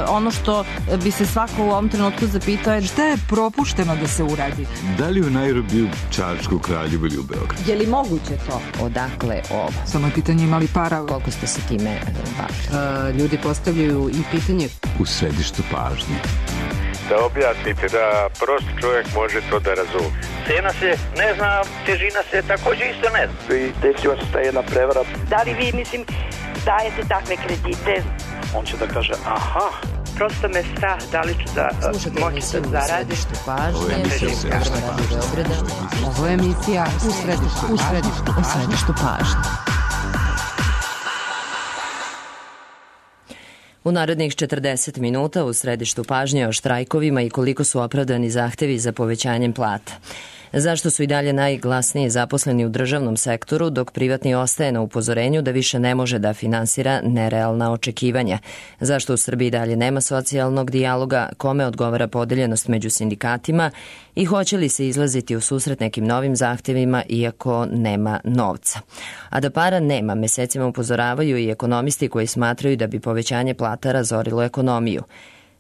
ono što bi se svako u ovom trenutku zapitao je šta je propušteno da se uradi? Da li u Nairobiju, Čačku, Kraljevu ili u Beogradu? Je li moguće to? Odakle ovo? Samo je pitanje imali para. Koliko ste se time bavili? Ljudi postavljaju i pitanje. U središtu pažnje. Da objasnite, da prost čovjek može to da razumije. Cena se ne zna, težina se također isto ne zna. I desila se ta jedna prevara. Da li vi, dajete takve kredite? On će da kaže, aha. Prosto me strah da li ću da moći da zaradim. Ovo je emisija u središtu pažnje. U narednih 40 minuta u središtu pažnje o štrajkovima i koliko su opravdani zahtevi za povećanjem plata. Zašto su i dalje najglasniji zaposleni u državnom sektoru, dok privatni ostaje na upozorenju da više ne može da finansira nerealna očekivanja? Zašto u Srbiji dalje nema socijalnog dijaloga, kome odgovara podeljenost među sindikatima i hoće li se izlaziti u susret nekim novim zahtevima iako nema novca? A da para nema, mesecima upozoravaju i ekonomisti koji smatraju da bi povećanje plata razorilo ekonomiju.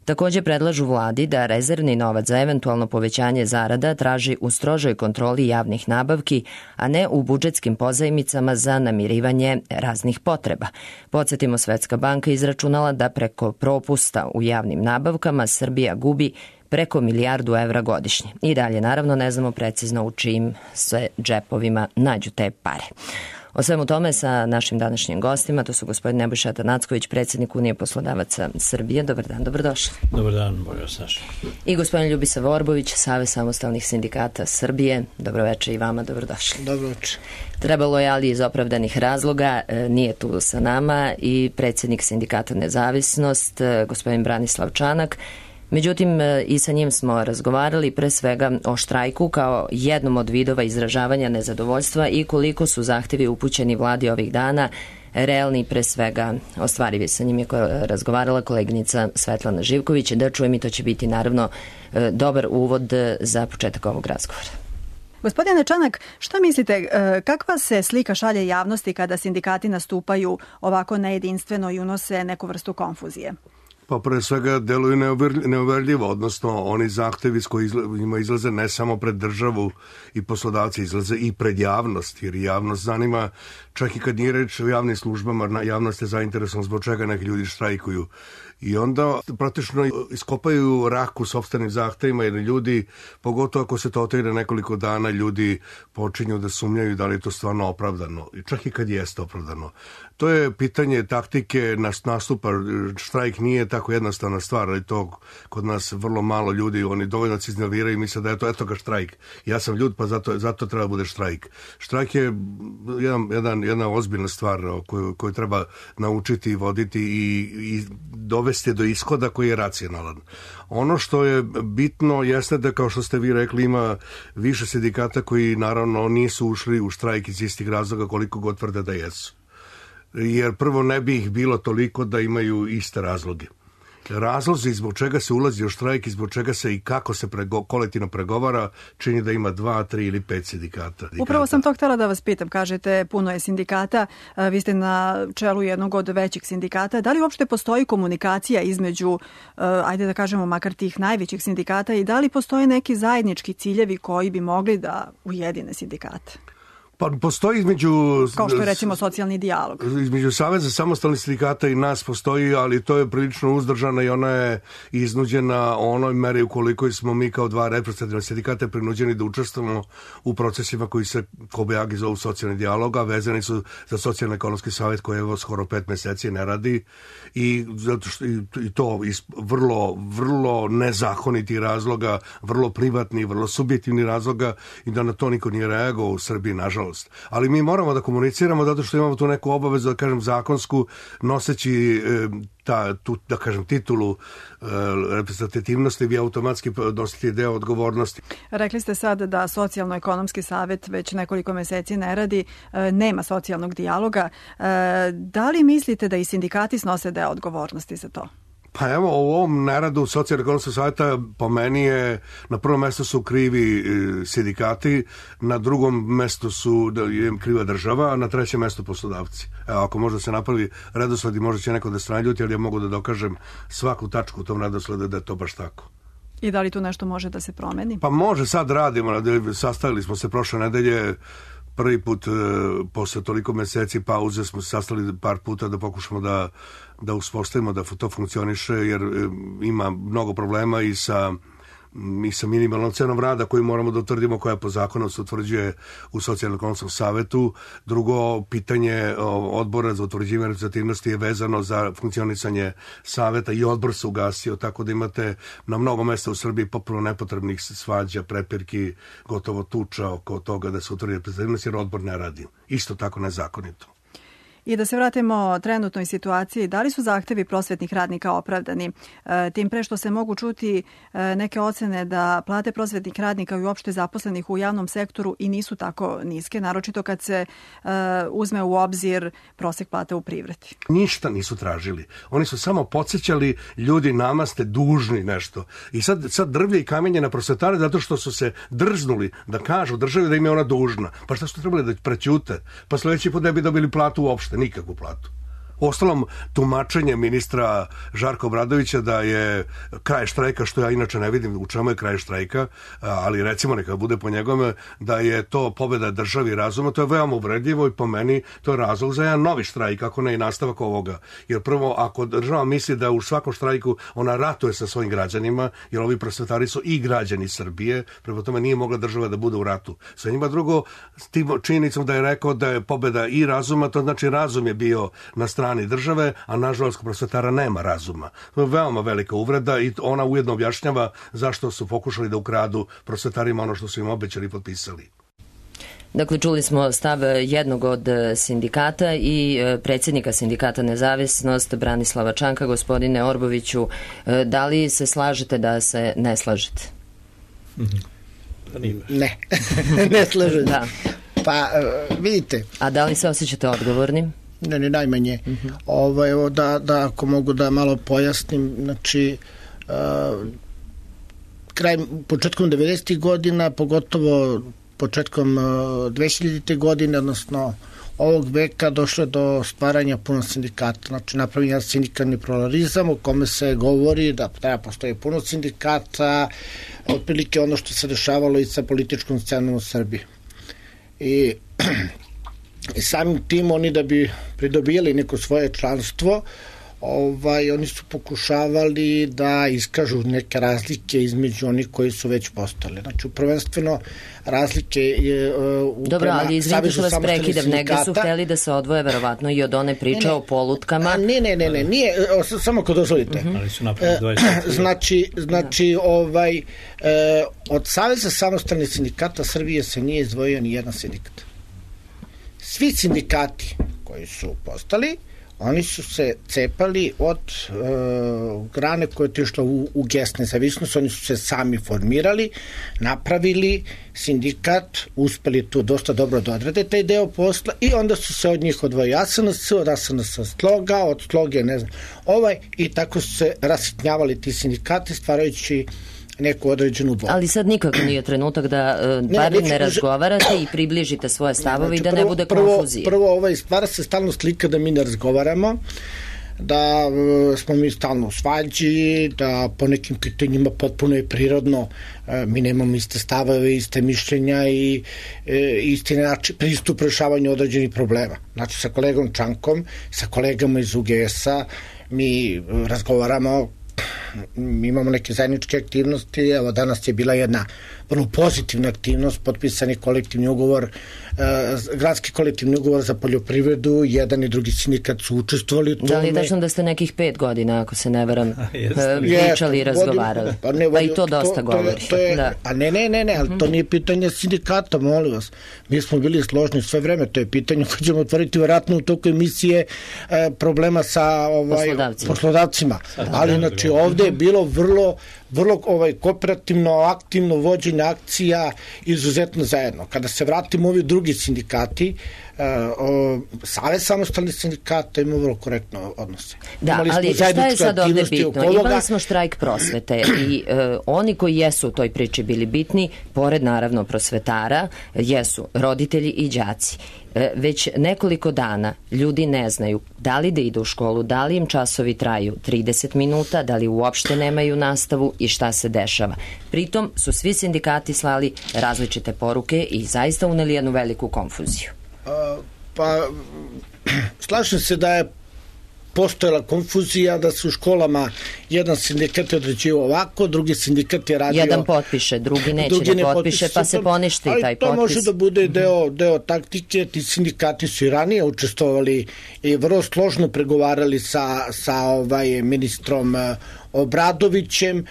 Također predlažu vladi da rezervni novac za eventualno povećanje zarada traži u strožoj kontroli javnih nabavki, a ne u budžetskim pozajmicama za namirivanje raznih potreba. Podsjetimo, Svetska banka izračunala da preko propusta u javnim nabavkama Srbija gubi preko 1 milijardu evra godišnje. I dalje, naravno, ne znamo precizno u čijim sve džepovima nađu te pare. O svemu tome sa našim današnjim gostima, to su gospodin Nebojša Atanacković, predsjednik Unije poslodavaca Srbije. Dobar dan, dobrodošli. Dobar dan, bolje Saša. I gospodin Ljubisa Vorbović, Savez samostalnih sindikata Srbije. Dobroveče i vama, dobrodošli. Dobroveče. Trebalo je, ali iz opravdanih razloga, nije tu sa nama i predsjednik sindikata Nezavisnost, gospodin Branislav Čanak. Međutim, i sa njim smo razgovarali pre svega o štrajku kao jednom od vidova izražavanja nezadovoljstva i koliko su zahtevi upućeni vladi ovih dana realni, pre svega ostvarivi. Sa njim je razgovarala koleginica Svetlana Živković. Da čujem, i to će biti naravno dobar uvod za početak ovog razgovora. Gospodine Čanak, šta mislite, kakva se slika šalje javnosti kada sindikati nastupaju ovako nejedinstveno i unose neku vrstu konfuzije? Pa pre svega deluju neuverljivo, odnosno oni zahtevi s kojima izlaze ne samo pred državu i poslodavci, izlaze i pred javnost, jer javnost zanima, čak i kad nije reč o javnim službama, javnost je zainteresovana zbog čega neki ljudi štrajkuju. I onda praktično iskopaju rak u sopstvenim zahtevima, jer ljudi, pogotovo ako se to otegne nekoliko dana, ljudi počinju da sumnjaju da li je to stvarno opravdano, čak i kad jeste opravdano. To je pitanje taktike nastupa. Štrajk nije tako jednostavna stvar, ali to kod nas vrlo malo ljudi, oni dovoljno se iznerviraju i misle da je to, eto ga štrajk. Ja sam ljud, pa zato treba bude štrajk. Štrajk je jedna ozbiljna stvar koju treba naučiti i voditi i dovesti do ishoda koji je racionalan. Ono što je bitno jeste da, kao što ste vi rekli, ima više sindikata koji naravno nisu ušli u štrajk iz istih razloga koliko god tvrde da jesu. Jer prvo ne bi ih bilo toliko da imaju iste razloge. Razlozi zbog čega se ulazi u štrajk i zbog čega se i kako se kolektivno pregovara čini da ima 2, 3 ili 5 sindikata. Upravo sam to htjela da vas pitam. Kažete, puno je sindikata, vi ste na čelu jednog od većih sindikata. Da li uopšte postoji komunikacija između, ajde da kažemo, makar tih najvećih sindikata i da li postoje neki zajednički ciljevi koji bi mogli da ujedine sindikate? Pa postoji između... Kao što je recimo socijalni dijalog. Između Saveza samostalnih sindikata i nas postoji, ali to je prilično uzdržana i ona je iznuđena onoj meri ukoliko smo mi kao 2 reprezentativna sindikata prinuđeni da učestvujemo u procesima koji se kobajagi zovu socijalni dijalog, a vezani su za socijalno-ekonomski savjet koji evo skoro 5 meseci ne radi i zato što i to iz vrlo nezakoniti razloga, vrlo privatni, vrlo subjektivni razloga i da na to niko nije reagovao u Srbiji, nažalost. Ali mi moramo da komuniciramo zato što imamo tu neku obavezu, da kažem, zakonsku, noseći tu, da kažem, titulu reprezentativnosti, vi automatski nosite deo odgovornosti. Rekli ste sad da socijalno-ekonomski savjet već nekoliko meseci ne radi, nema socijalnog dijaloga. Da li mislite da i sindikati snose deo odgovornosti za to? Pa evo, u ovom neradu Socijalno-ekonomskog savjeta po meni je na prvom mjestu su krivi sindikati, na drugom mjestu je kriva država, a na trećem mjestu poslodavci. Evo, ako možda se napravi redosled i možda će neko da se naljuti, ali ja mogu da dokažem svaku tačku u tom redosledu da je to baš tako. I da li tu nešto može da se promeni? Pa može, sad radimo, sastavili smo se prošle nedelje, prvi put posle toliko meseci pauze smo se sastali par puta da pokušamo da uspostavimo da to funkcioniše, jer ima mnogo problema i sa minimalnom cenom rada koju moramo da utvrdimo, koja po zakonu se utvrđuje u Socijalno-ekonomskom savetu. Drugo, pitanje odbora za utvrđivanje reprezentativnosti je vezano za funkcionisanje saveta i odbor se ugasio, tako da imate na mnogo mesta u Srbiji popuno nepotrebnih svađa, prepirki, gotovo tuča oko toga da se utvrdi reprezentativnost, jer odbor ne radi. Isto tako nezakonito. I da se vratimo trenutnoj situaciji, da li su zahtevi prosvetnih radnika opravdani? Tim pre što se mogu čuti neke ocene da plate prosvetnih radnika i uopšte zaposlenih u javnom sektoru i nisu tako niske, naročito kad se uzme u obzir prosek plate u privredi. Ništa nisu tražili. Oni su samo podsjećali ljudi, nama ste dužni nešto. I sad drvlje i kamenje na prosvetare zato što su se drznuli da kažu državi da im je ona dužna. Pa šta su trebali da prećute? Pa sledeći put ne bi dobili platu uopšte, nikakvu platu. Ostalom, tumačenje ministra Žarka Obradovića da je kraj štrajka, što ja inače ne vidim u čemu je kraj štrajka, ali recimo neka bude po njegome da je to pobjeda državi razuma, to je veoma uvredljivo i po meni to je razlog za jedan novi štrajk, ako ne i nastavak ovoga. Jer prvo, ako država misli da u svakom štrajku ona ratuje sa svojim građanima, jer ovi prosvetari su i građani Srbije, prema tome nije mogla država da bude u ratu sa njima. Drugo, s tim činjenicom da je rekao da je pobjeda i razuma, to znači razum je bio na strani države, a nažalost kod prosvetara nema razuma. To je veoma velika uvreda i ona ujedno objašnjava zašto su pokušali da ukradu prosvetarima ono što su im obećali i potpisali. Dakle, čuli smo stav jednog od sindikata i predsjednika sindikata Nezavisnost, Branislava Čanka. Gospodine Orboviću, da li se slažete da se ne slažete? Ne, ne slažem. Da. Pa, vidite. A da li se osjećate odgovornim? Ne, najmanje. Evo da ako mogu da malo pojasnim, znači početkom 90. godina, pogotovo početkom 2000. godine, odnosno ovog veka, došlo do stvaranja puno sindikata. Znači napravljen je sindikalni pluralizam u kome se govori da treba postoji puno sindikata, otprilike ono što se dešavalo i sa političkom scenom u Srbiji. I samim tim oni da bi pridobijali neko svoje članstvo, oni su pokušavali da iskažu neke razlike između onih koji su već postali. Znači, prvenstveno razlike je dobro, ali izvinite što vas prekidam, negde su hteli da se odvoje verovatno i od one priče o polutkama. Ne, nije, samo ako dozvolite. Ali su napravili Znači, od Saveza samostalnih sindikata Srbije se nije izdvojio ni jedan sindikat. Svi sindikati koji su postali, oni su se cepali od grane koja je tišla u gest nezavisnost, oni su se sami formirali, napravili sindikat, uspeli tu dosta dobro da odrade taj deo posla i onda su se od njih odvojili SNS, od SNS Sloga, od Sloge, ne znam, i tako su se rasitnjavali ti sindikati, stvarajući neku određenu dvoju. Ali sad nikako nije trenutak da barem ne razgovarate i približite svoje stavove i da ne bude konfuzije. Prvo, stvara se stalno slika da mi ne razgovaramo, da smo mi stalno u svađi, da po nekim pitanjima potpuno je prirodno, mi nemamo iste stavove, iste mišljenja i isti način pristup rešavanju određenih problema. Znači, sa kolegom Čankom, sa kolegama iz UGS-a mi razgovaramo, imamo neke zajedničke aktivnosti. Evo, danas je bila jedna vrlo pozitivna aktivnost, potpisani kolektivni ugovor, gradski kolektivni ugovor za poljoprivredu, jedan i drugi sindikat su učestvovali u tome. Da li je tačno da ste nekih 5 godina, ako se ne veram, pričali i razgovarali? Pa i to dosta govori. A ne, ali to nije pitanje sindikata, molim vas. Mi smo bili složni sve vreme, to je pitanje koje ćemo otvoriti vjerojatno u toku emisije problema sa poslodavcima. Ali znači ovde je bilo vrlo vrlo kooperativno, aktivno vođenje akcija, izuzetno zajedno. Kada se vratimo ovi drugi sindikati, Savez samostalnih sindikata ima vrlo korektno odnose. Da, ali šta je sad ovde bitno? Imali smo štrajk prosvete i oni koji jesu u toj priči bili bitni, pored naravno prosvetara, jesu roditelji i đaci. Već nekoliko dana ljudi ne znaju da li da idu u školu, da li im časovi traju 30 minuta, da li uopšte nemaju nastavu i šta se dešava. Pritom su svi sindikati slali različite poruke i zaista uneli jednu veliku konfuziju. Pa, slažem se da je postojala konfuzija, da su u školama jedan sindikat je određivao ovako, drugi sindikat je radio... Jedan potpiše, drugi neće da potpiše, pa se poništi taj potpis. Ali to može da bude deo taktike, ti sindikati su i ranije učestvovali i vrlo složno pregovarali sa ministrom Obradovićem.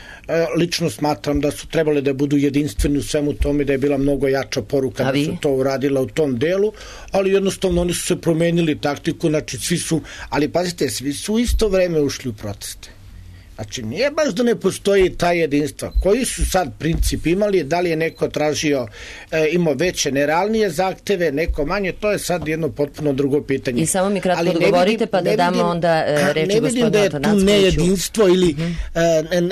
Lično smatram da su trebali da budu jedinstveni u svemu tome, da je bila mnogo jača poruka da su to uradila u tom delu, ali jednostavno oni su se promenili taktiku, znači svi su, ali pazite, svi su u isto vreme ušli u proteste. Znači, nije baš da ne postoji ta jedinstva. Koji su sad princip imali, da li je neko tražio, imao veće, nerealnije zahteve, neko manje, to je sad jedno potpuno drugo pitanje. I samo mi kratko odgovorite, pa da damo onda reči gospodinu Atanackoviću. Ne vidim da je tu nejedinstvo ili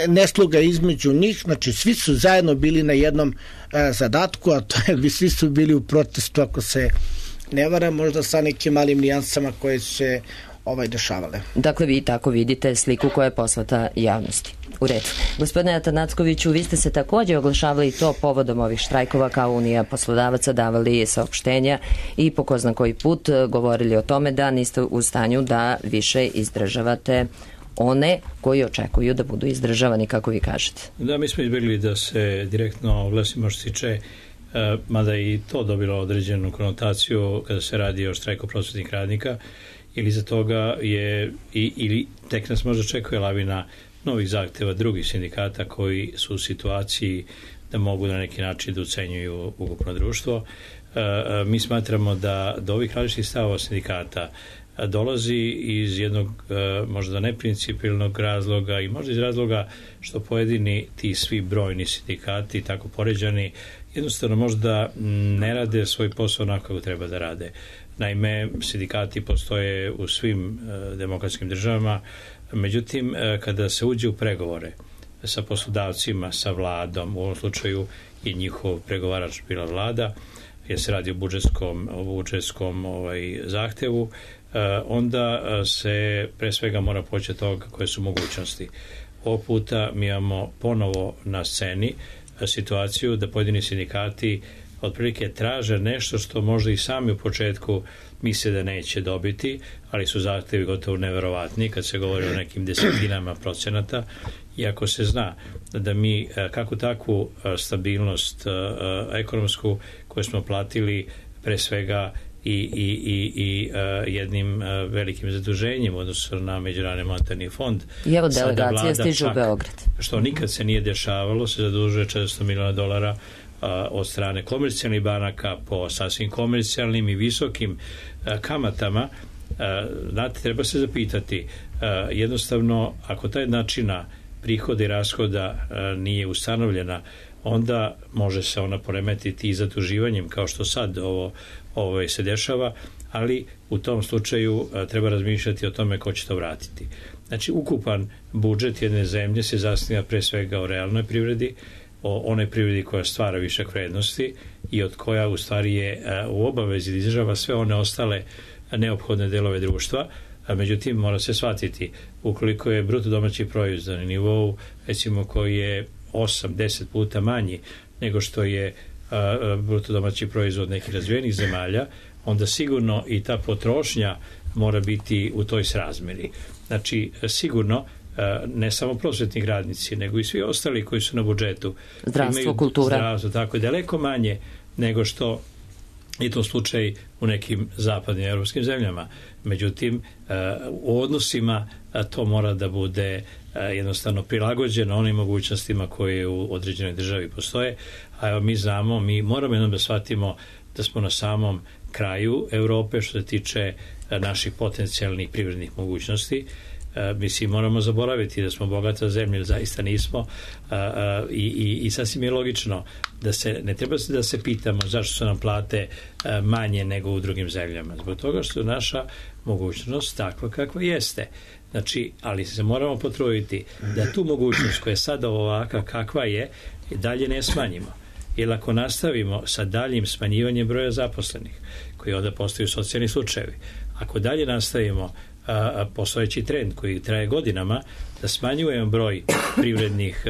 nesloga između njih, znači svi su zajedno bili na jednom zadatku, a to je, svi su bili u protestu, ako se ne varam, možda sa nekim malim nijansama koje se dešavale. Dakle, vi tako vidite sliku koja je poslata javnosti. U redu. Gospodine Atanackoviću, vi ste se takođe oglašavali to povodom ovih štrajkova kao Unija poslodavaca, davali saopštenja i po ko zna koji put govorili o tome da niste u stanju da više izdržavate one koji očekuju da budu izdržavani, kako vi kažete. Da, mi smo izbjegli da se direktno oglasimo što se tiče, mada i to dobilo određenu konotaciju kada se radi o štrajku prosvetnih radnika, ili za toga je ili tek nas možda čekuje lavina novih zahteva drugih sindikata koji su u situaciji da mogu na neki način da ucenjuju ukupno društvo. Mi smatramo da do ovih različitih stavova sindikata dolazi iz jednog možda neprincipijelnog razloga i možda iz razloga što pojedini ti svi brojni sindikati, tako poređani, jednostavno možda ne rade svoj posao onako kako treba da rade. Naime, sindikati postoje u svim demokratskim državama, međutim, kada se uđe u pregovore sa poslodavcima, sa vladom, u ovom slučaju je njihov pregovarač bila vlada, jer se radi o budžetskom zahtevu, onda se pre svega mora poći od toga koje su mogućnosti. Ovog puta mi imamo ponovo na sceni situaciju da pojedini sindikati otprilike traže nešto što možda i sami u početku misle da neće dobiti, ali su zahtevi gotovo neverovatni kad se govori o nekim desetinama procenata, iako se zna da mi kako takvu stabilnost ekonomsku koju smo platili pre svega i jednim velikim zaduženjem odnosno na Međunarodni monetarni fond. I evo delegacija stiže u Beograd. Što nikad se nije dešavalo, se zadužuje $400 miliona od strane komercijalnih banaka po sasvim komercijalnim i visokim kamatama. Znate, treba se zapitati, jednostavno, ako taj načina prihoda i rashoda nije ustanovljena, onda može se ona poremetiti i zaduživanjem, kao što sad ovo se dešava, ali u tom slučaju treba razmišljati o tome ko će to vratiti. Znači, ukupan budžet jedne zemlje se zasniva pre svega o realnoj privredi, o onoj privredi koja stvara višak vrednosti i od koja u stvari je u obavezi da izdržava sve one ostale neophodne delove društva. Međutim, mora se shvatiti, ukoliko je bruto domaći proizvod na nivou, recimo, koji je 8-10 puta manji nego što je bruto domaći proizvod nekih razvijenih zemalja, onda sigurno i ta potrošnja mora biti u toj srazmeri. Znači, sigurno ne samo prosvetni radnici, nego i svi ostali koji su na budžetu. Zdravstvo, kultura. Zdravstvo, tako je, daleko manje nego što je to slučaj u nekim zapadnim evropskim zemljama. Međutim, u odnosima to mora da bude jednostavno prilagođeno onim mogućnostima koje u određenoj državi postoje. A evo, mi znamo, mi moramo jednom da shvatimo da smo na samom kraju Evrope što se tiče naših potencijalnih privrednih mogućnosti. Mislim, moramo zaboraviti da smo bogata zemlja, zaista nismo, i sasvim je logično da ne treba da se pitamo zašto su nam plate manje nego u drugim zemljama. Zbog toga što je naša mogućnost takva kakva jeste. Znači, ali se moramo potruditi da tu mogućnost koja je sada ovaka kakva je, dalje ne smanjimo. Jer ako nastavimo sa daljim smanjivanjem broja zaposlenih, koji onda postaju socijalni slučajevi, ako dalje nastavimo postojeći trend koji traje godinama, da smanjujemo broj privrednih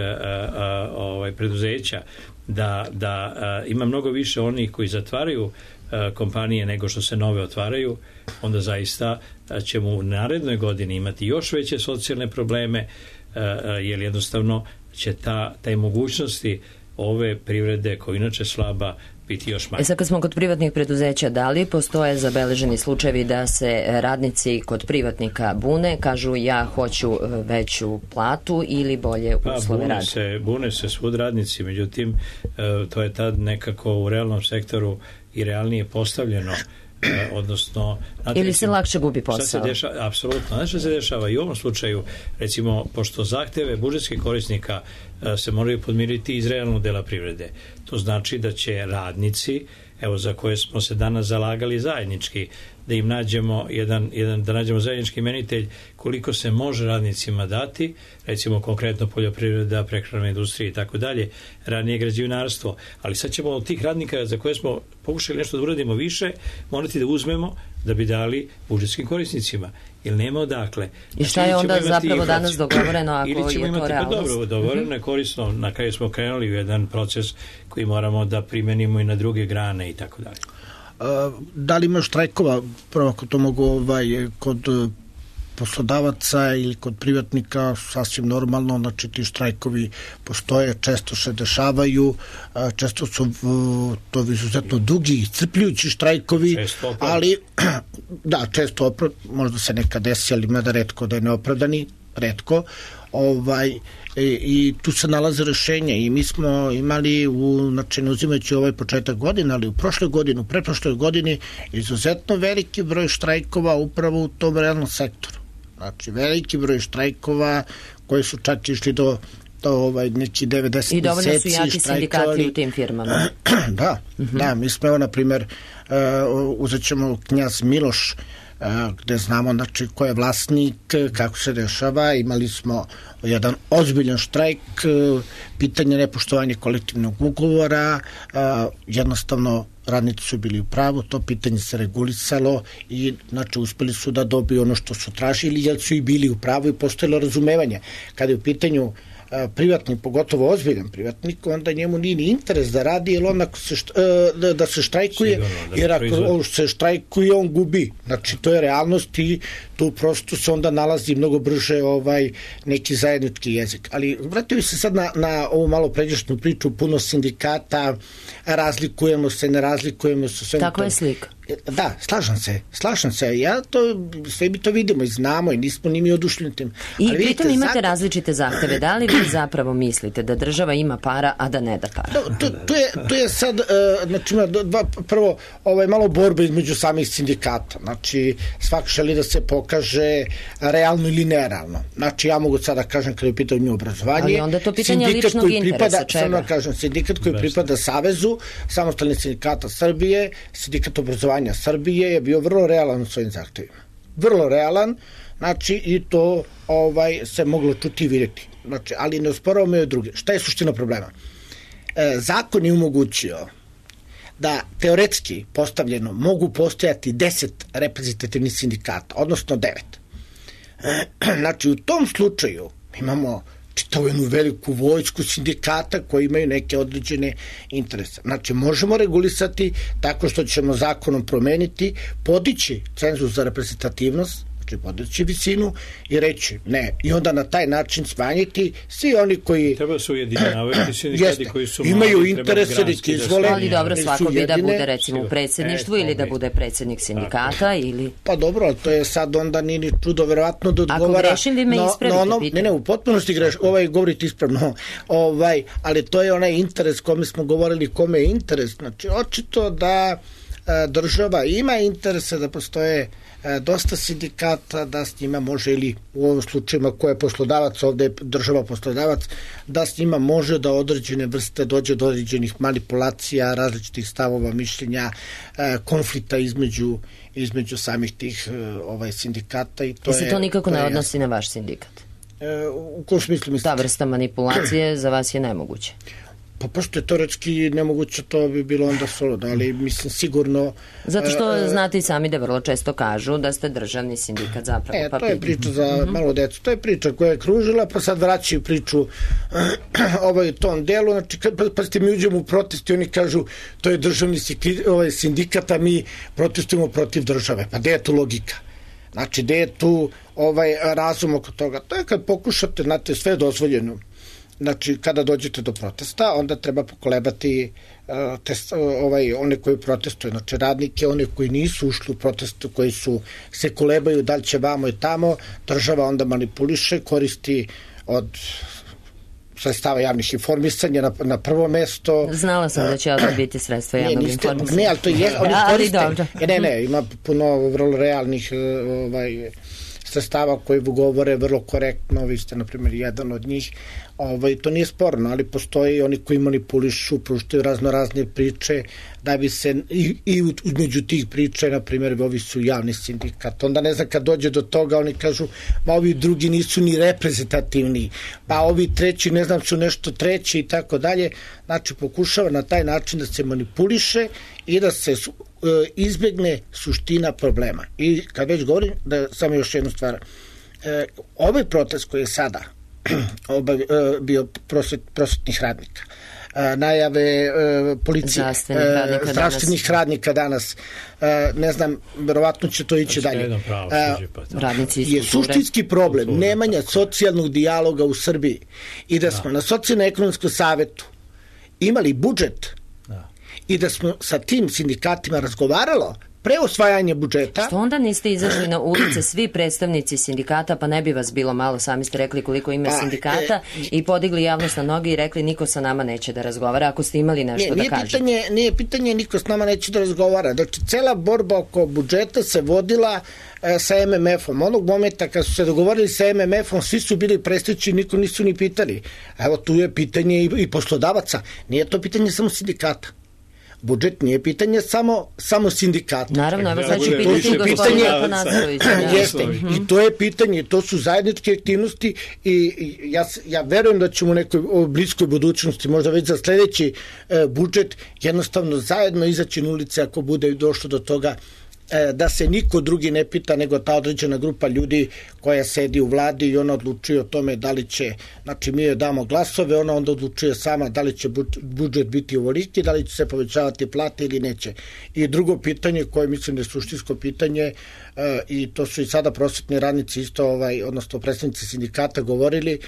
preduzeća, da ima mnogo više onih koji zatvaraju kompanije nego što se nove otvaraju, onda zaista ćemo u narednoj godini imati još veće socijalne probleme, jer jednostavno će taj mogućnosti ove privrede, koja inače slaba, biti još manje. Sad kad smo kod privatnih preduzeća, da li postoje zabeleženi slučajevi da se radnici kod privatnika bune, kažu ja hoću veću platu ili bolje uslove rada? Bune se svud radnici, međutim to je tad nekako u realnom sektoru i realnije postavljeno, odnosno... Ili se lakše gubi posao? Apsolutno. Znaš što se dešava i u ovom slučaju, recimo, pošto zahteve budžetskih korisnika se moraju podmiriti iz realnog dela privrede. To znači da će radnici, evo za koje smo se danas zalagali zajednički, da im nađemo da nađemo zajednički imenitelj koliko se može radnicima dati, recimo konkretno poljoprivreda, prehrambena industrija i tako dalje, ranije građevinarstvo, ali sad ćemo od tih radnika za koje smo pokušali nešto da uradimo više, morati da uzmemo da bi dali budžetskim korisnicima, jer nema odakle. I šta je onda zapravo danas dogovoreno ako je to realnost? Dobro, dogovoreno je korisno, na kraju smo krenuli u jedan proces koji moramo da primenimo i na druge grane i tako dalje. Da li ima štrajkova, prvo ako to mogu kod poslodavaca ili kod privatnika, sasvim normalno, znači ti štrajkovi postoje, često se dešavaju, često su to izuzetno dugi i crpljujući štrajkovi, ali da, često možda se nekad desi, ali mada retko da je neopravdani, retko, i tu se nalaze rešenja i mi smo imali, znači ne uzimajući ovaj početak godine, ali u prošloj godini, u pretprošloj godini izuzetno veliki broj štrajkova upravo u tom realnom sektoru. Znači veliki broj štrajkova koji su čak išli do neki 90 meseci. I dovoljno su jaki sindikati u tim firmama. Da, mi smo evo na primjer uzet ćemo Knjaz Miloš, gde znamo znači ko je vlasnik, kako se dešava, imali smo jedan ozbiljan štrajk, pitanje nepoštovanja kolektivnog ugovora, jednostavno radnici su bili u pravu, to pitanje se regulisalo i znači uspeli su da dobiju ono što su tražili, jer su i bili u pravu i postojalo razumevanje. Kada je u pitanju privatnik, pogotovo ozbiljan privatnik, onda njemu nije ni interes da radi, jer on ako da se štrajkuje, jer ako se štrajkuje, on gubi. Znači, to je realnost i tu prosto se onda nalazi mnogo brže neki zajednički jezik. Ali vratio se sad na ovu malo pređašnju priču, puno sindikata, razlikujemo se, ne razlikujemo se. Tako je slika. Da, slažem se. Ja to, sve mi to vidimo i znamo i nismo ni mi odušljeni tim. I pritom imate različite zahteve. Da li vi zapravo mislite da država ima para, a da ne da para? To je sad, znači ima prvo malo borbe između samih sindikata. Znači, svak želi da se pokaže realno ili nerealno. Znači, ja mogu sad da kažem kada je pitanju obrazovanje. Ali onda to pitanje ličnog interesa, čega? Sindikat koji pripada Savezu samostalnih sindikata Srbije, sindikat obrazovanja Srbije je bio vrlo realan u svojim zahtevima. Vrlo realan, znači i to se moglo čuti i vidjeti. Znači, ali ne osporavamo i druge. Šta je suština problema? Zakon je omogućio da teoretski postavljeno mogu postojati 10 reprezentativnih sindikata, odnosno 9. Znači, u tom slučaju imamo čitavu jednu veliku vojsku sindikata koji imaju neke određene interese. Znači, možemo regulisati tako što ćemo zakonom promeniti, podići cenzus za reprezentativnost, znači podići visinu i reći ne. I onda na taj način smanjiti svi oni koji... Treba su ujedinjavati sindikati koji su imaju interese da ih izvole. Ali dobro, svako bi da bude recimo u predsjedništvu ili da bude predsjednik sindikata ili... Pa dobro, ali to je sad onda nije čudo verovatno da odgovara... Ako grešim, vi me ispravite. Ne, u potpunosti govorite ispravno. Ali to je onaj interes kome smo govorili, kome je interes. Znači, očito da država ima interese da postoje dosta sindikata, da s njima može, ili u ovom slučajima ko je poslodavac, ovde je država poslodavac, da s njima može da određene vrste dođe do određenih manipulacija, različitih stavova, mišljenja, konflikta između samih tih sindikata. I to se to nikako ne odnosi na vaš sindikat? U kom smislu mislite? Ta vrsta manipulacije za vas je nemoguće? Pa pošto je teoretski nemoguće, to bi bilo onda suludo, ali mislim sigurno... Zato što znate i sami da vrlo često kažu da ste državni sindikat zapravo. To je priča za malo decu, to je priča koja je kružila, pa sad vraćaju priču tom delu, znači pa ste mi uđemo u protest i oni kažu to je državni sindikat, a mi protestujemo protiv države, pa gde je tu logika? Znači, gde je tu razum oko toga? To je kad pokušate, znate, sve je dozvoljeno. Znači, kada dođete do protesta, onda treba pokolebati one koji protestuju, znači radnike, one koji nisu ušli u protestu, koji se kolebaju da li će vamo i tamo, država onda manipuliše, koristi od sredstava javnih informisanja na prvo mesto. Znala sam da će ovdje biti sredstva javnog informisanja. Ne, ali to je, oni koriste. Ne, ima puno vrlo realnih sredstava koji govore vrlo korektno, vi ste, na primjer, jedan od njih. To nije sporno, ali postoji oni koji manipulišu, pruštaju razne priče, da bi se i među tih priča, na primjer, ovi su javni sindikat. Onda ne znam, kad dođe do toga, oni kažu, ma ovi drugi nisu ni reprezentativni, pa ovi treći, ne znam, su nešto treći i tako dalje. Znači, pokušava na taj način da se manipuliše i da se izbjegne suština problema. I kad već govorim, da samo još jednu stvar, ovaj protest koji je sada bio prosvetnih radnika, najave policije, zdravstvenih radnika danas, ne znam, verovatno će to ići dalje. Je suštinski problem nemanja socijalnog dijaloga u Srbiji i da smo na socijalno-ekonomskom savetu imali budžet i da smo sa tim sindikatima razgovaralo pre osvajanja budžeta. Što onda niste izašli na ulice svi predstavnici sindikata, pa ne bi vas bilo malo, sami ste rekli koliko ima sindikata, i podigli javnost na noge i rekli niko sa nama neće da razgovara, ako ste imali nešto da kažete. Nije pitanje niko s nama neće da razgovara. Znači, cela borba oko budžeta se vodila sa MMF-om. Onog momenta kad su se dogovorili sa MMF-om, svi su bili prestići, niko nisu ni pitali. Evo, tu je pitanje i poslodavaca. Nije to pitanje samo sindikata. Budžet nije pitanje samo sindikata. Naravno, evo sad ću pitati gospodina Atanackovića. Jeste, i to je pitanje, to su zajedničke aktivnosti i ja verujem da ćemo u nekoj bliskoj budućnosti, možda već za sledeći budžet, jednostavno zajedno izaći na ulice ako bude došlo do toga da se niko drugi ne pita nego ta određena grupa ljudi koja sedi u vladi i ona odlučuje o tome da li će, znači mi joj damo glasove, ona onda odlučuje sama da li će budžet biti ovoliki, da li će se povećavati plate ili neće. I drugo pitanje koje mislim da je suštinsko pitanje, i to su i sada prosvetni radnici isto, odnosno predstavnici sindikata govorili,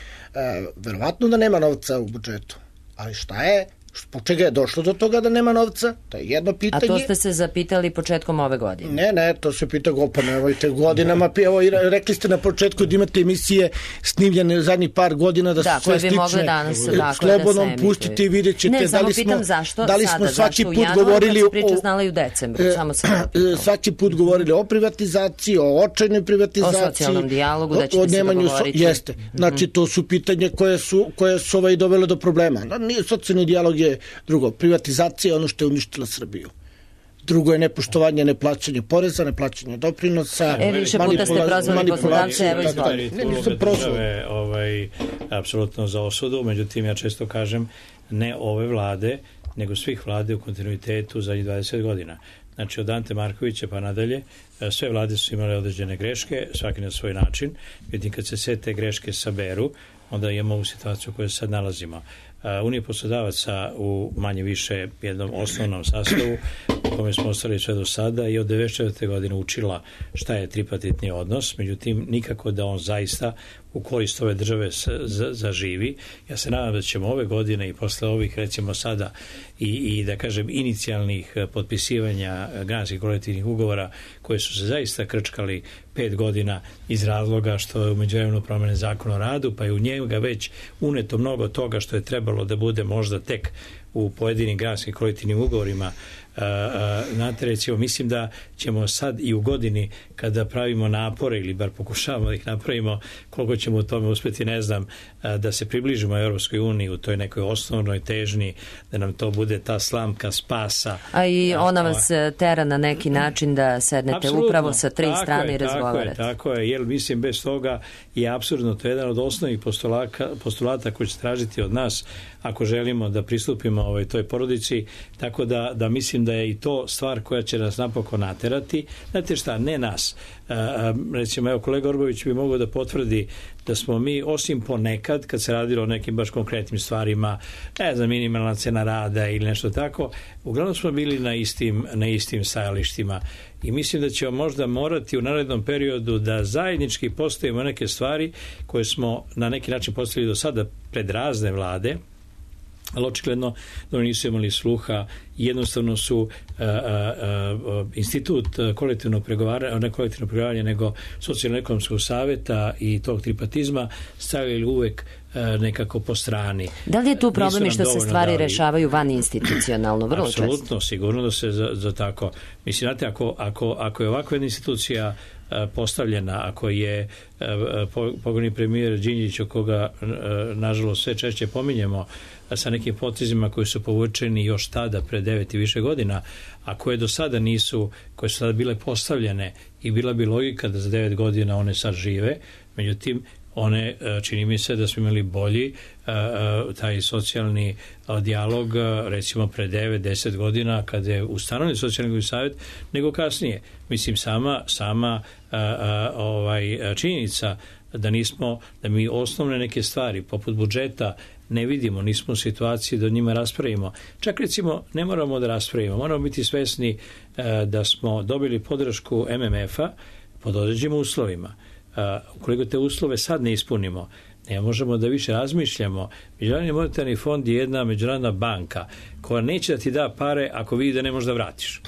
verovatno da nema novca u budžetu, ali šta je? Zbog čega je došlo do toga da nema novca? To je jedno pitanje. A to ste se zapitali početkom ove godine? Ne, to se pita godinama. Evo, rekli ste na početku da imate emisije snimljene zadnjih par godina da su sve slične. Slobodno pustite i vidjet ćete da li smo svaki put govorili svaki put govorili o privatizaciji, o očajnoj privatizaciji, o socijalnom dijalogu, da ćete se dogovoriti. Jeste. Znači, to su pitanje koje su dovele do problema. Socijalni dijalog je drugo. Privatizacija je ono što je uništila Srbiju. Drugo je nepoštovanje, neplaćanje poreza, neplaćanje doprinosa. Više puta ste prozvali poslodavce, evo izvolite. Države apsolutno za osudu, međutim ja često kažem ne ove vlade, nego svih vlade u kontinuitetu zadnjih 20 godina. Znači od Ante Markovića pa nadalje, sve vlade su imale određene greške, svaki na svoj način. Vidim kad se sve te greške saberu, onda imamo ovu situaciju u kojoj sad nalazimo. Unija poslodavaca u manje više jednom osnovnom sastavu u kome smo ostali sve do sada i od 1994. godine učila šta je tripartitni odnos, međutim nikako da on zaista u korist ove države zaživi. Ja se nadam da ćemo ove godine i posle ovih recimo sada i da kažem inicijalnih potpisivanja granskih kolektivnih ugovora koje su se zaista krčkali 5 godina iz razloga što je u međuvremenu promene Zakon o radu, pa je u njega već uneto mnogo toga što je trebalo da bude možda tek u pojedinim granskim kolektivnim ugovorima Znate, recimo, mislim da ćemo sad i u godini kada pravimo napore ili bar pokušavamo da ih napravimo, koliko ćemo u tome uspeti, ne znam, da se približimo Europskoj uniji u toj nekoj osnovnoj težnji, da nam to bude ta slamka spasa. A i ona vas tera na neki način da sednete apsolutno, upravo sa tri strane i razgovarate. Tako je, jer mislim bez toga je apsurdno, to je jedan od osnovnih postulata koji će tražiti od nas ako želimo da pristupimo toj porodici, tako da mislim da je i to stvar koja će nas napokon naterati. Znate šta, ne nas. Recimo, evo, kolega Orbović bi mogao da potvrdi da smo mi, osim ponekad, kad se radilo o nekim baš konkretnim stvarima, ne znam, minimalna cena rada ili nešto tako, uglavnom smo bili na istim stajalištima. I mislim da ćemo možda morati u narednom periodu da zajednički postavimo neke stvari koje smo na neki način postavili do sada pred razne vlade, ali očigledno da oni nisu imali sluha. Jednostavno su institut kolektivnog pregovaranja, ne kolektivnog pregovaranja, nego socijalno-ekonomskog saveta i tog tripatizma stavili uvek nekako po strani. Da li je tu problem i što se stvari rešavaju van institucionalno? Vrlo često. Apsolutno, sigurno da se za tako. Mislim, znate, ako je ovakva jedna institucija postavljena, ako je pokojni premijer Đinđić, o koga nažalost sve češće pominjemo, sa nekim potezima koji su povučeni još tada pre 9 i više godina, a koje do sada nisu, koje su tada bile postavljene i bila bi logika da za 9 godina one sad žive, međutim one, čini mi se da smo imali bolji taj socijalni dijalog recimo pre 9-10 godina kada je ustanovljen socijalni savjet nego kasnije. Mislim, sama činjenica da mi osnovne neke stvari poput budžeta ne vidimo, nismo u situaciji da o njima raspravimo. Čak recimo ne moramo da raspravimo, moramo biti svesni da smo dobili podršku MMF-a pod određenim uslovima. Ukoliko te uslove sad ne ispunimo, ne možemo da više razmišljamo. Međunarodni monetarni fond je jedna međunarodna banka koja neće da ti da pare ako vidi da ne možeš da vratiš.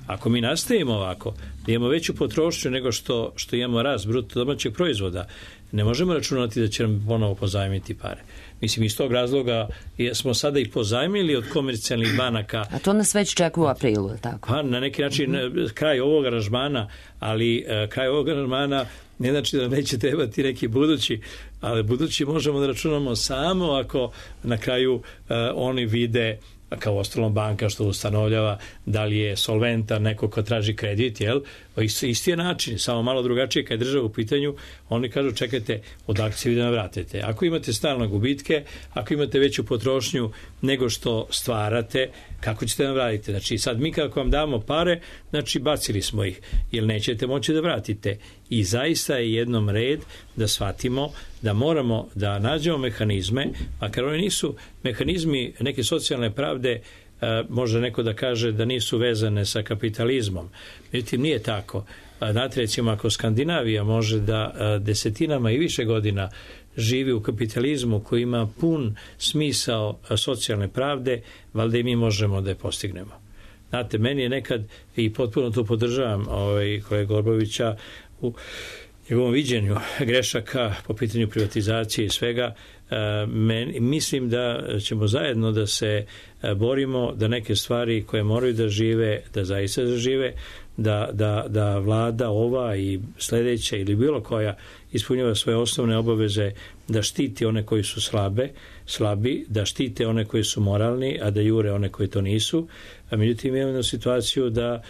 Ako mi nastavimo ovako, da imamo veću potrošnju nego što imamo rast bruto domaćeg proizvoda, ne možemo računati da će nam ponovo pozajmiti pare. Mislim, iz tog razloga smo sada i pozajmili od komercijalnih banaka. A to nas već čeka u aprilu, je tako? Pa, na neki način kraj ovog aranžmana, ali kraj ovog aranžmana ne znači da neće trebati neki budući, ali budući možemo da računamo samo ako na kraju oni vide, kao ostalom banka što ustanovljava da li je solventan neko ko traži kredit, jel? Isti je način, samo malo drugačije kad je država u pitanju, oni kažu čekajte, odakle se vi da navratite. Ako imate stalne gubitke, ako imate veću potrošnju nego što stvarate, kako ćete navratiti? Znači sad mi kako vam damo pare, znači bacili smo ih, jer nećete moći da vratite. I zaista je jednom red da shvatimo da moramo da nađemo mehanizme, makar oni nisu mehanizmi neke socijalne pravde, može neko da kaže da nisu vezane sa kapitalizmom. Međutim, nije tako. Znate, recimo, ako Skandinavija može da desetinama i više godina živi u kapitalizmu koji ima pun smisao socijalne pravde, valjda i mi možemo da je postignemo. Znate, meni je nekad, i potpuno to podržavam kolega Orbovića, u njegovom viđenju grešaka po pitanju privatizacije i svega, mislim da ćemo zajedno da se borimo da neke stvari koje moraju da žive, da zaista zažive, da vlada ova i sledeća ili bilo koja ispunjava svoje osnovne obaveze, da štiti one koji su slabi, da štite one koji su moralni, a da jure one koji to nisu. A međutim, imamo situaciju da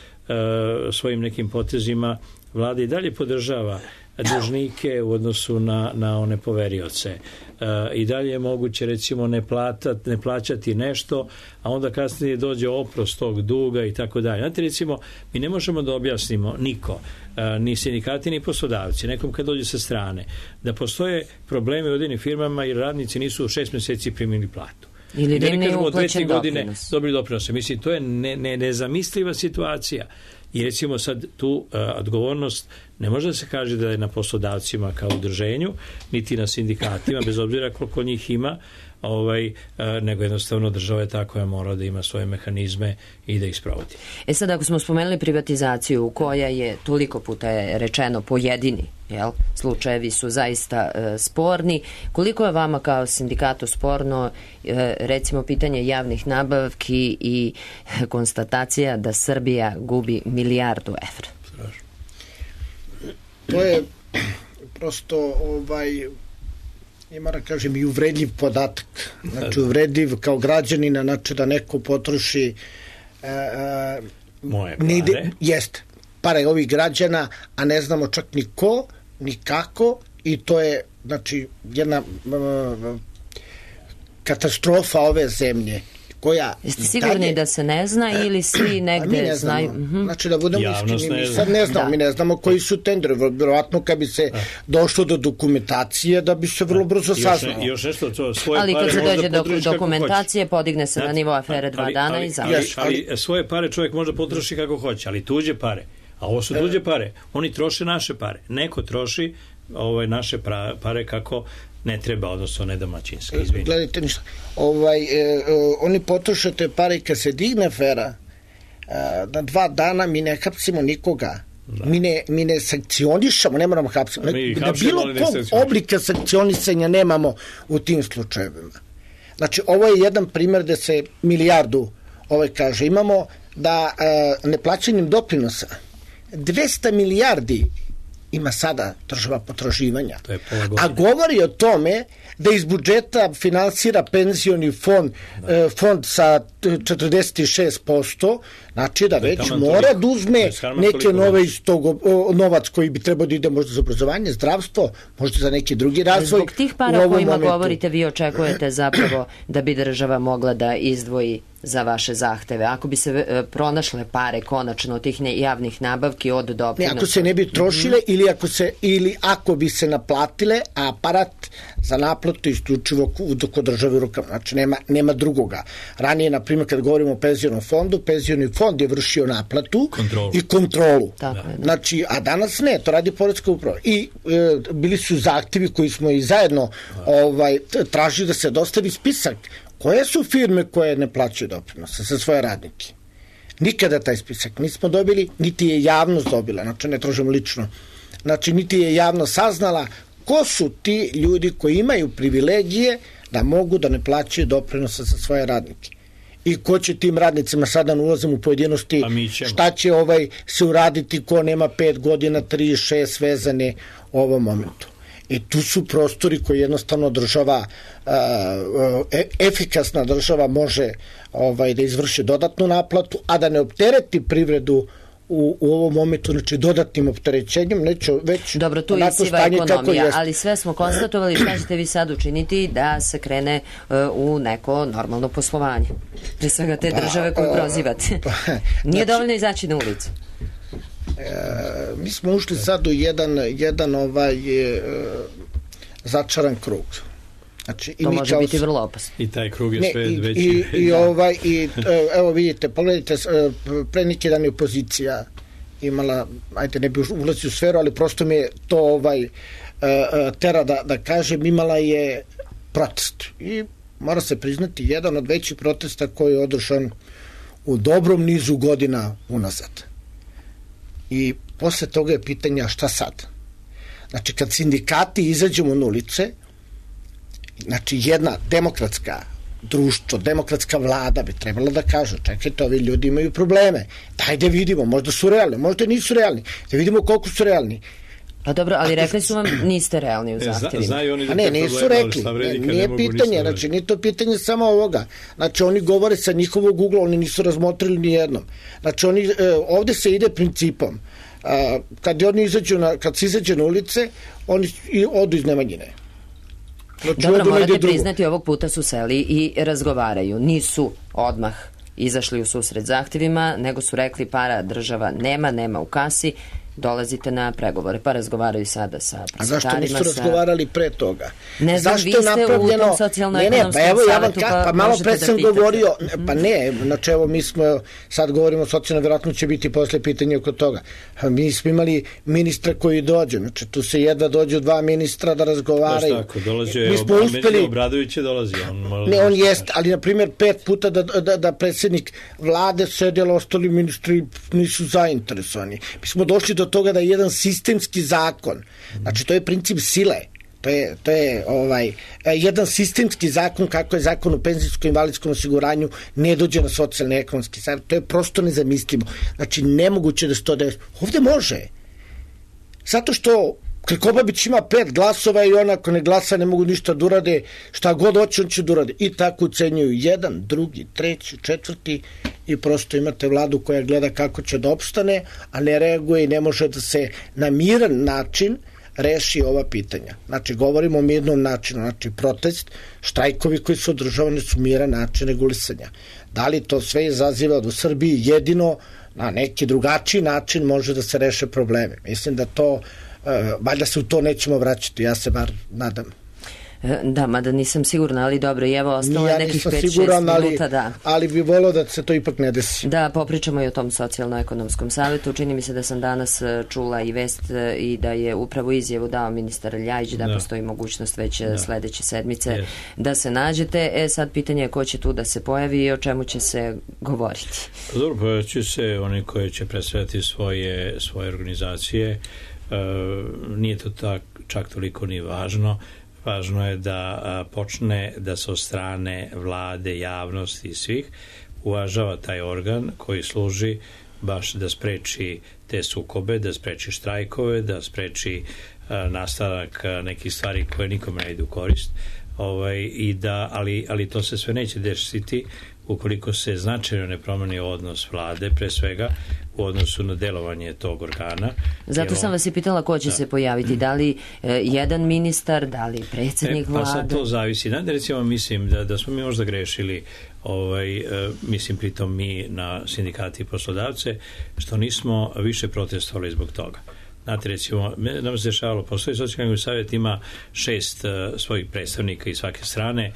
svojim nekim potezima vlada i dalje podržava dužnike u odnosu na one poverioce. I dalje je moguće recimo ne plaćati nešto, a onda kasnije dođe oprost tog duga i tako dalje. Znate, recimo, mi ne možemo da objasnimo niko, ni sindikati ni poslodavci, nekom kad dođe sa strane, da postoje problemi u određenim firmama jer radnici nisu u 6 meseci primili platu. Ili da ne uplaćen doprinos. Dobili doprinose. Mislim, to je nezamisliva situacija. I recimo sad tu odgovornost Ne može da se kaže da je na poslodavcima kao udruženju, niti na sindikatima, bez obzira koliko njih ima, nego jednostavno država je ta koja mora da ima svoje mehanizme i da ih sprovodi. Sad, ako smo spomenuli privatizaciju koja je toliko puta je rečeno pojedini, slučajevi su zaista sporni, koliko je vama kao sindikatu sporno recimo pitanje javnih nabavki i konstatacija da Srbija gubi milijardu evra? To je prosto ja moram kažem i uvredljiv podatak. Znači uvredljiv kao građanina, znači da neko potroši moje pare. Jeste, pare ovih građana, a ne znamo čak ni ko, ni kako, i to je znači jedna katastrofa ove zemlje. Jeste sigurni da se ne zna ili svi negde znaju? Znači da budemo iskreni, mi sad ne znamo, mi ne znamo koji su tenderi, vjerovatno kad bi se došlo do dokumentacije da bi se vrlo brzo saznalo. Ali kad se dođe do dokumentacije podigne se na nivo afere 2 dana i završi. Ali svoje pare čovjek može potroši kako hoće, ali tuđe pare, a ovo su tuđe pare, oni troše naše pare, neko troši naše pare kako ne treba, odnosno ne domaćinski. Gledajte ništa. Oni potroše te pare i kad se digne afera, na 2 dana mi ne hapsimo nikoga. Mi ne sankcionišemo, ne moramo hapsimo. Da bilo kog oblika sankcionisanja nemamo u tim slučajevima. Znači, ovo je jedan primjer da se milijardu kaže. Imamo da neplaćanjem doprinosa 200 milijardi ima sada država potraživanja. A govori o tome da iz budžeta finansira penzioni fond sa 46%, znači da već mora da uzme neke nove iz tog novac koji bi trebao da ide možda za obrazovanje, zdravstvo, možda za neki drugi razvoj. Zbog tih para kojima govorite, vi očekujete zapravo da bi država mogla da izdvoji za vaše zahteve. Ako bi se pronašle pare konačno od tih javnih nabavki od doprinosa. Ako se ne bi trošile ili ako bi se naplatile, a aparat za naplatu isključivo kod države u rukama. Znači nema drugoga. Ranije, na primjer, kad govorimo o penzionom fondu, penzioni fond je vršio naplatu i kontrolu. Znači, a danas ne, to radi poreska uprava. I bili su zahtevi koji smo i zajedno tražili da se dostavi spisak koje su firme koje ne plaćaju doprinose za svoje radnike. Nikada taj spisak nismo dobili, niti je javnost dobila, znači ne tražimo lično, znači niti je javnost saznala ko su ti ljudi koji imaju privilegije da mogu da ne plaćaju doprinose za svoje radnike. I ko će tim radnicima, sada ulazim u pojedinosti, šta će se uraditi ko nema 5 godina, 3, 6 vezane u ovom momentu. I tu su prostori koji jednostavno država, efikasna država može da izvrši dodatnu naplatu, a da ne optereti privredu u ovom momentu, znači dodatnim opterećenjem, neću već dobro, tu je siva ekonomija, ali sve smo konstatovali, šta ćete vi sad učiniti da se krene u neko normalno poslovanje? Pre svega te države koju prozivate. Nije dovoljno izaći na ulicu. Mi smo ušli sad u jedan začaran krug. Znači, to može biti vrlo opasno. I taj krug je sve veći. Evo vidite, pogledajte, pre neki dan je opozicija imala, ajde ne bi ulazio u sferu, ali prosto mi je to tera da kažem, imala je protest. I mora se priznati, jedan od većih protesta koji je održan u dobrom nizu godina unazad. I posle toga je pitanja šta sad? Znači, kad sindikati izađemo na ulice, znači jedna demokratska društvo, demokratska vlada bi trebala da kaže, čekajte, ovi ljudi imaju probleme, daj da vidimo, možda su realni, možda nisu realni, da vidimo koliko su realni. Pa dobro, ali rekli su vam niste realni u zahtjevima. A ne, nisu rekli, nije pitanje, znači nije to pitanje samo ovoga, znači oni govore sa njihovog ugla, oni nisu razmotrili ni jednom, znači ovde se ide principom, kad se izađe na ulice, oni odu iz Nemanjine. Dobro, morate priznati, ovog puta su seli i razgovaraju. Nisu odmah izašli u susret zahtjevima, nego su rekli para država nema u kasi, dolazite na pregovore, pa razgovaraju sada sa prosvetarima. A zašto nisu razgovarali pre toga? Ne znam, vi ste u tom socijalno-ekonomskom savetu, pa malo pre sam govorio, pa ne, znači evo mi smo, sad govorimo socijalno, vjerojatno će biti posle pitanja oko toga. Mi smo imali ministra koji dođe, znači tu se jedva dođu 2 ministra da razgovaraju. Baš tako, dolaze, Obradović je dolazi. On jest, ali na primjer 5 puta da predsjednik vlade sedjela, ostali ministri nisu zainteresovani. Mi smo došli do toga da je jedan sistemski zakon, znači to je princip sile, to je jedan sistemski zakon kako je zakon o penzijskom i invalidskom osiguranju ne dođe na socijalni ekonomski savet, to je prosto nezamislivo. Znači nemoguće da se to desi. Ovde može. Zato što Krkobabić ima 5 glasova i on ako ne glasa ne mogu ništa da urade, šta god hoće on će da urade. I tako ucenjuju 1, 2, 3, 4 i prosto imate vladu koja gleda kako će da opstane, a ne reaguje i ne može da se na miran način reši ova pitanja. Znači, govorimo o mirnom načinu, znači protest, štrajkovi koji su održavani su miran način regulisanja. Da li to sve izaziva u Srbiji jedino na neki drugačiji način može da se reše probleme? Mislim da to valjda se u to nećemo vraćati, ja se bar nadam. Da, mada nisam sigurna, ali dobro, i evo ostalo je nekih 5-6 minuta, da. Ali bi volio da se to ipak ne desi. Da, popričamo i o tom socijalno-ekonomskom savetu. Čini mi se da sam danas čula i vest i da je upravo izjavu dao ministar Ljajić, da postoji mogućnost već sledeće sedmice da se nađete. Sad pitanje je ko će tu da se pojavi i o čemu će se govoriti. Dobro, pojaviće se oni koji će predstavljati svoje organizacije. Nije to čak toliko ni važno. Važno je da počne da se od strane vlade, javnosti i svih uvažava taj organ koji služi baš da spreči te sukobe, da spreči štrajkove, da spreči nastavak nekih stvari koje nikome ne idu u korist. Ali to se sve neće desiti ukoliko se značajno ne promeni odnos vlade, pre svega u odnosu na delovanje tog organa. Zato sam vas i pitala ko će se pojaviti, da li jedan ministar, da li predsjednik vlade? Pa sad to zavisi. Recimo, mislim da smo mi možda grešili, mislim pritom mi na sindikati i poslodavce, što nismo više protestovali zbog toga. Znate, recimo, nam se dešavalo, postoji socijalni savjet, ima 6 svojih predstavnika iz svake strane,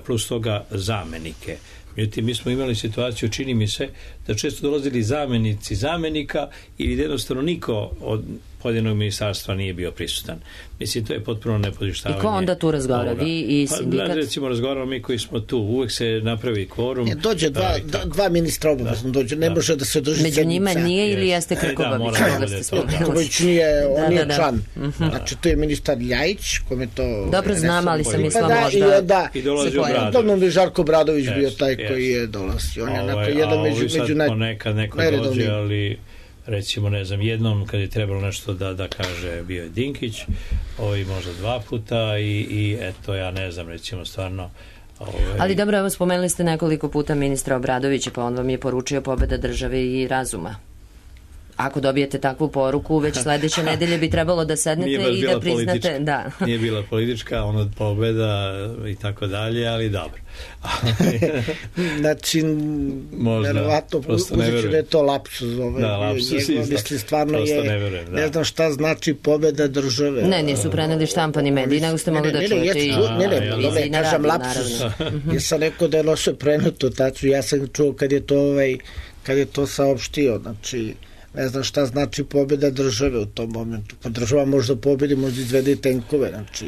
plus toga zamenike. Međutim, mi smo imali situaciju, čini mi se, da često dolazili zamenici zamenika i jednostavno niko od pojedinog ministarstva nije bio prisutan. Mislim, to je potpuno nepodištavanje. I ko onda tu razgovara? Vi i sindikat? Recimo, razgovaramo mi koji smo tu. Uvek se napravi kvorum. Dođe dva ministra obavezno dođe. Ne može da se drži sedmica. Među njima nije ili jeste Krkobabić? Krkobabić nije, on nije član. Znači, to je ministar Ljajić, kome to... Dobro znam, ali sam mislila možda... I dolazi Obradović. Dobro bi Žarko Obradović bio taj koji je dolazio. On je onako jedan među ponekad neko dođe, ali recimo, ne znam, jednom kad je trebalo nešto da kaže, bio je Dinkić, možda 2 puta i eto, ja ne znam, recimo, stvarno... Ali dobro, evo, spomenuli ste nekoliko puta ministra Obradovića, pa on vam je poručio pobeda države i razuma. Ako dobijete takvu poruku, već sledeće nedelje bi trebalo da sednete i da priznate... Da. Nije bila politička, ono pobeda i tako dalje, ali dobro. Znači, verovatno, uzeću da je to lapsus. Mislim, stvarno je, ne znam šta znači pobeda države. Ne, nisu preneli štampani mediji, nego ste mogli da čujete i... Ne, kažem lapsus. Ja sam rekao da je loše preneto, tačno, ja sam čuo kad je to saopštio, znači... Ne znam šta znači pobjeda države u tom momentu. Pa država možda pobjedi, možda izvede i tenkove. Znači,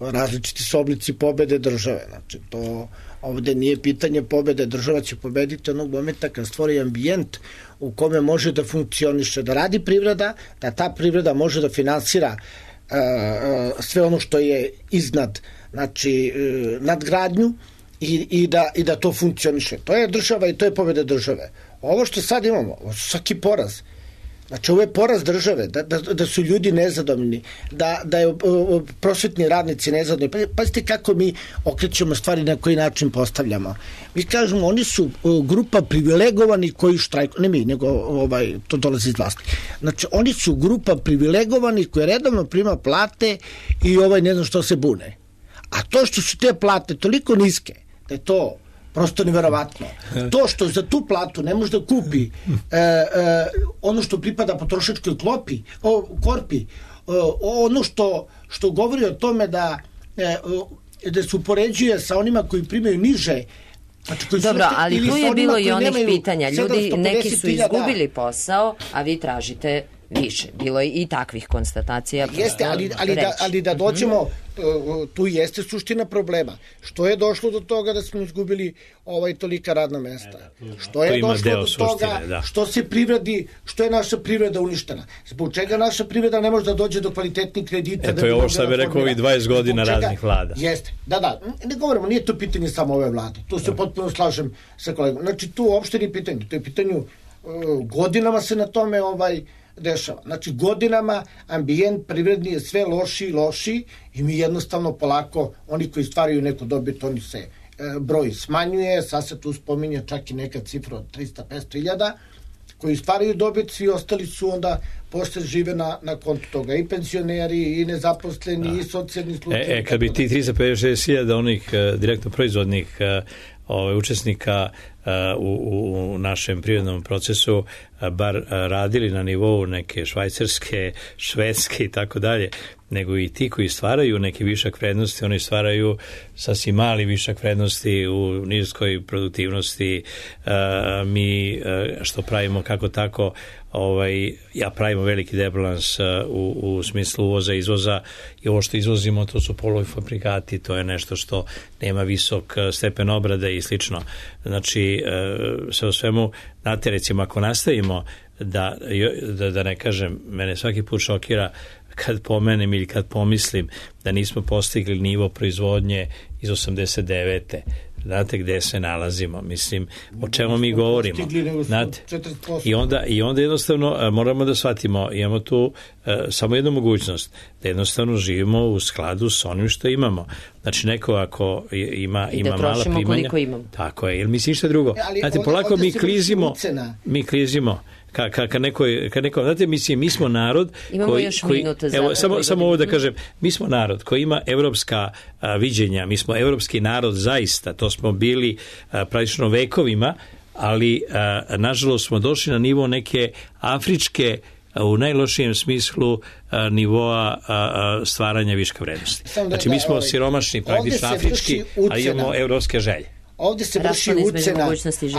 različiti su oblici pobjede države. Znači, to ovde nije pitanje pobjede. Država će pobediti onog momenta kad stvori ambijent u kome može da funkcioniše, da radi privreda, da ta privreda može da finansira sve ono što je iznad, znači, nadgradnju i da to funkcioniše. To je država i to je pobjeda države. Ovo što sad imamo, svaki poraz. Znači, ovo je poraz države, da su ljudi nezadovoljni, da je prosvetni radnici nezadovoljni. Pazite kako mi okrećemo stvari, na koji način postavljamo. Mi kažemo, oni su grupa privilegovani koji štrajkuju, ne mi, nego to dolazi iz vlasti. Znači, oni su grupa privilegovani koji redovno prima plate i ne znam što se bune. A to što su te plate toliko niske, da je to Prosto neverovatno. To što za tu platu ne može da kupi ono što pripada potrošačkoj korpi, ono što govori o tome da se upoređuje sa onima koji primaju niže. Dobro, ali tu je bilo i onih pitanja. Ljudi, neki su izgubili posao, a vi tražite više. Bilo je i takvih konstatacija. Jeste, ali da dođemo, tu jeste suština problema. Što je došlo do toga da smo izgubili tolika radna mesta? Što je došlo do toga što je naša privreda uništena? Zbog čega naša privreda ne može da dođe do kvalitetnih kredita? To je ovo što bi rekao ovih 20 godina raznih vlada. Jeste, da. Ne govorimo, nije to pitanje samo ove vlade. Tu se potpuno slažem sa kolegom. Znači, tu uopšte nije pitanje. To je pitanju, godinama se na tome dešava. Znači, godinama ambijent privredni je sve lošiji i mi jednostavno polako, oni koji stvaraju neku dobit, oni se broj smanjuje, sad se tu spominje čak i neka cifra od 300-500 hiljada, koji stvaraju dobit, svi ostali su onda posle žive na kontu toga. I penzioneri, i nezaposleni, i socijalni slučajevi. Kad bi ti 356 hiljada onih direktno proizvodnih učesnika u našem privrednom procesu bar radili na nivou neke švajcarske, švedske i tako dalje, nego i ti koji stvaraju neki višak vrednosti, oni stvaraju sasvim mali višak vrednosti u niskoj produktivnosti. Mi što pravimo kako tako, ja pravimo veliki debalans u smislu uvoza i izvoza, i ovo što izvozimo to su polufabrikati, to je nešto što nema visok stepen obrade i slično. Znači, sve o svemu, znate, recimo, ako nastavimo da ne kažem, mene svaki put šokira kad pomenem ili kad pomislim da nismo postigli nivo proizvodnje iz 89. Znate gde se nalazimo, mislim, o čemu mi govorimo, znate, i onda jednostavno moramo da shvatimo, imamo tu samo jednu mogućnost, da jednostavno živimo u skladu s onim što imamo. Znači, neko ako ima mala primanja, tako je, ili misli ništa drugo, znate, polako mi klizimo, kad neko, znate, mislim, mi smo narod samo ovo da kažem, mi smo narod koji ima evropska viđenja, mi smo evropski narod zaista, to smo bili praktično vekovima, ali nažalost smo došli na nivo neke afričke, u najlošijem smislu, nivoa stvaranja viška vrednosti. Znači, mi smo siromašni, praktično afrički, ali imamo evropske želje. Ovdje se vrši ucena,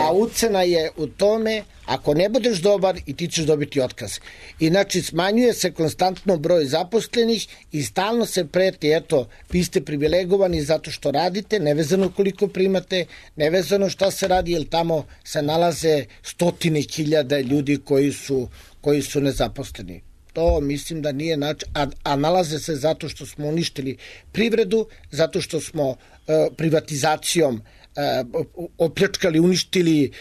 a ucena je u tome, ako ne budeš dobar i ti ćeš dobiti otkaz. I znači smanjuje se konstantno broj zaposlenih i stalno se preti, eto, vi ste privilegovani zato što radite, nevezano koliko primate, nevezano šta se radi, jer tamo se nalaze 100.000 ljudi koji su nezaposleni. To mislim da nije način, a nalaze se zato što smo uništili privredu, zato što smo privatizacijom opljačkali, uništili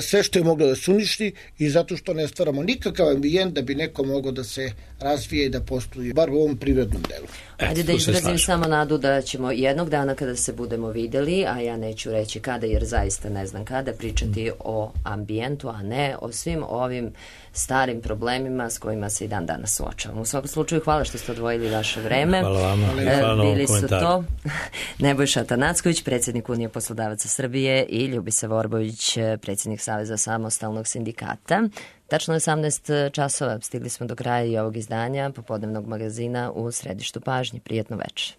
sve što je moglo da se uništi i zato što ne stvaramo nikakav ambijent da bi neko mogao da se razvije i da postoji, bar u ovom privrednom delu. Ajde da izrazim samo nadu da ćemo jednog dana kada se budemo videli, a ja neću reći kada jer zaista ne znam kada, pričati o ambijentu, a ne o svim ovim starim problemima s kojima se i dan danas suočavamo. U svakom slučaju, hvala što ste odvojili vaše vreme. Hvala vama. Hvala na ovom komentaru. To Nebojša Atanacković, predsjednik Unije poslodavaca Srbije, i Ljubisa Vorbović, predsjednik Saveza samostalnog sindikata. Tačno je 18 časova. Stigli smo do kraja i ovog izdanja popodnevnog magazina u središtu pažnje. Prijetno večer.